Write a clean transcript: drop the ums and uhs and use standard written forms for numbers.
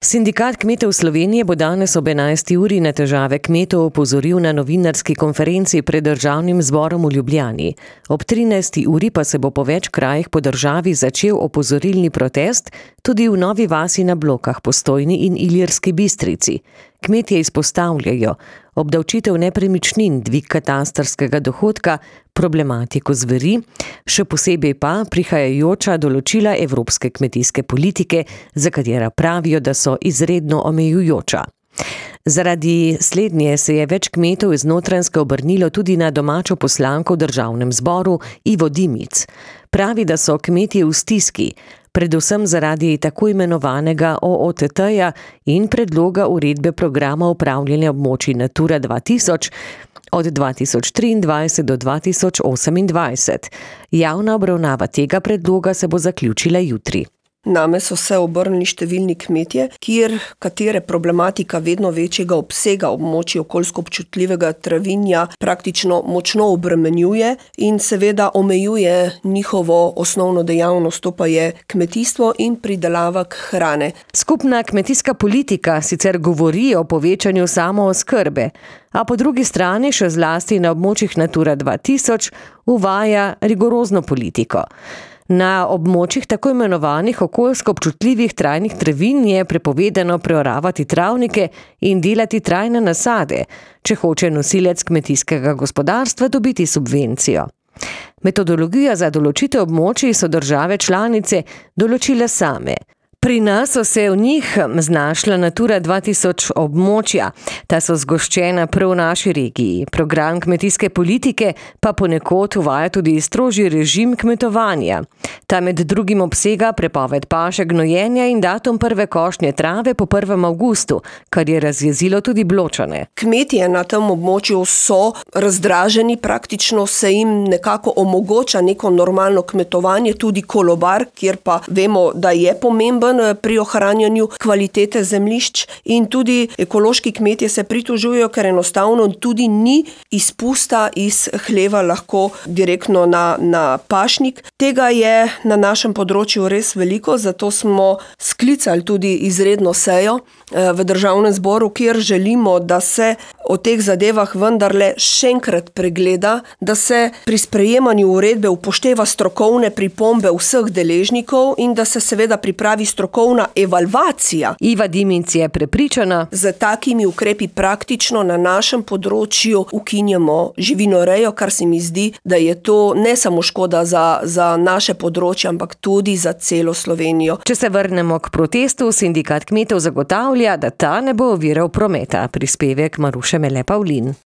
Sindikat kmetov Slovenije bo danes ob 11. uri na težave kmetov opozoril na novinarski konferenci pred Državnim zborom v Ljubljani. Ob 13. uri pa se bo po več krajih po državi začel opozorilni protest tudi v Novi Vasi na Blokah, Postojni in Ilirski Bistrici. Kmetje izpostavljajo obdavčitev nepremičnin, dvig katastrskega dohodka, problematiko zveri, še posebej pa prihajajoča določila evropske kmetijske politike, za katera pravijo, da so izredno omejujoča. Zaradi slednje se je več kmetov iz Notranjske obrnilo tudi na domačo poslanko v Državnem zboru Ivo Dimic. Pravi, da so kmetje v stiski, predvsem zaradi tako imenovanega OOTT-ja in predloga uredbe programa upravljanja območij Natura 2000 od 2023 do 2028. Javna obravnava tega predloga se bo zaključila jutri. Name so se obrnili številni kmetje, katere problematika vedno večjega obsega območij okoljsko občutljivega travinja praktično močno obremenjuje in seveda omejuje njihovo osnovno dejavnost, to pa je kmetijstvo in pridelava hrane. Skupna kmetijska politika sicer govori o povečanju samooskrbe, a po drugi strani še zlasti na območjih Natura 2000 uvaja rigorozno politiko. Na območjih tako imenovanih okoljsko občutljivih trajnih travin je prepovedano preoravati travnike in delati trajne nasade, če hoče nosilec kmetijskega gospodarstva dobiti subvencijo. Metodologijo za določitev območij so države članice določile same. Pri nas so se v njih znašla Natura 2000 območja, ta so zgoščena prav v naši regiji. Program kmetijske politike pa ponekod uvaja tudi strožji režim kmetovanja. Ta med drugim obsega prepoved paše, gnojenja in datum prve košnje trave po 1. avgustu, kar je razjezilo tudi Bločane. Kmetje na tem območju so razdraženi, praktično se jim nekako omogoča neko normalno kmetovanje, tudi kolobar, kjer pa vemo, da je pomemben pri ohranjanju kvalitete zemljišč, in tudi ekološki kmetje se pritožujejo, ker enostavno tudi ni izpusta iz hleva lahko direktno na pašnik. Tega je na našem področju res veliko, zato smo sklicali tudi izredno sejo v Državnem zboru, kjer želimo, da se o teh zadevah vendarle še enkrat pregleda, da se pri sprejemanju uredbe upošteva strokovne pripombe vseh deležnikov in da se seveda pripravi strokovna evalvacija. Iva Dimic je prepričana, z takimi ukrepi praktično na našem področju ukinjamo živinorejo, kar se mi zdi, da je to ne samo škoda za naše področje, ampak tudi za celo Slovenijo. Če se vrnemo k protestu, sindikat kmetov zagotavlja, da ta ne bo oviral prometa. Prispevek Maruše Mele Pavlin.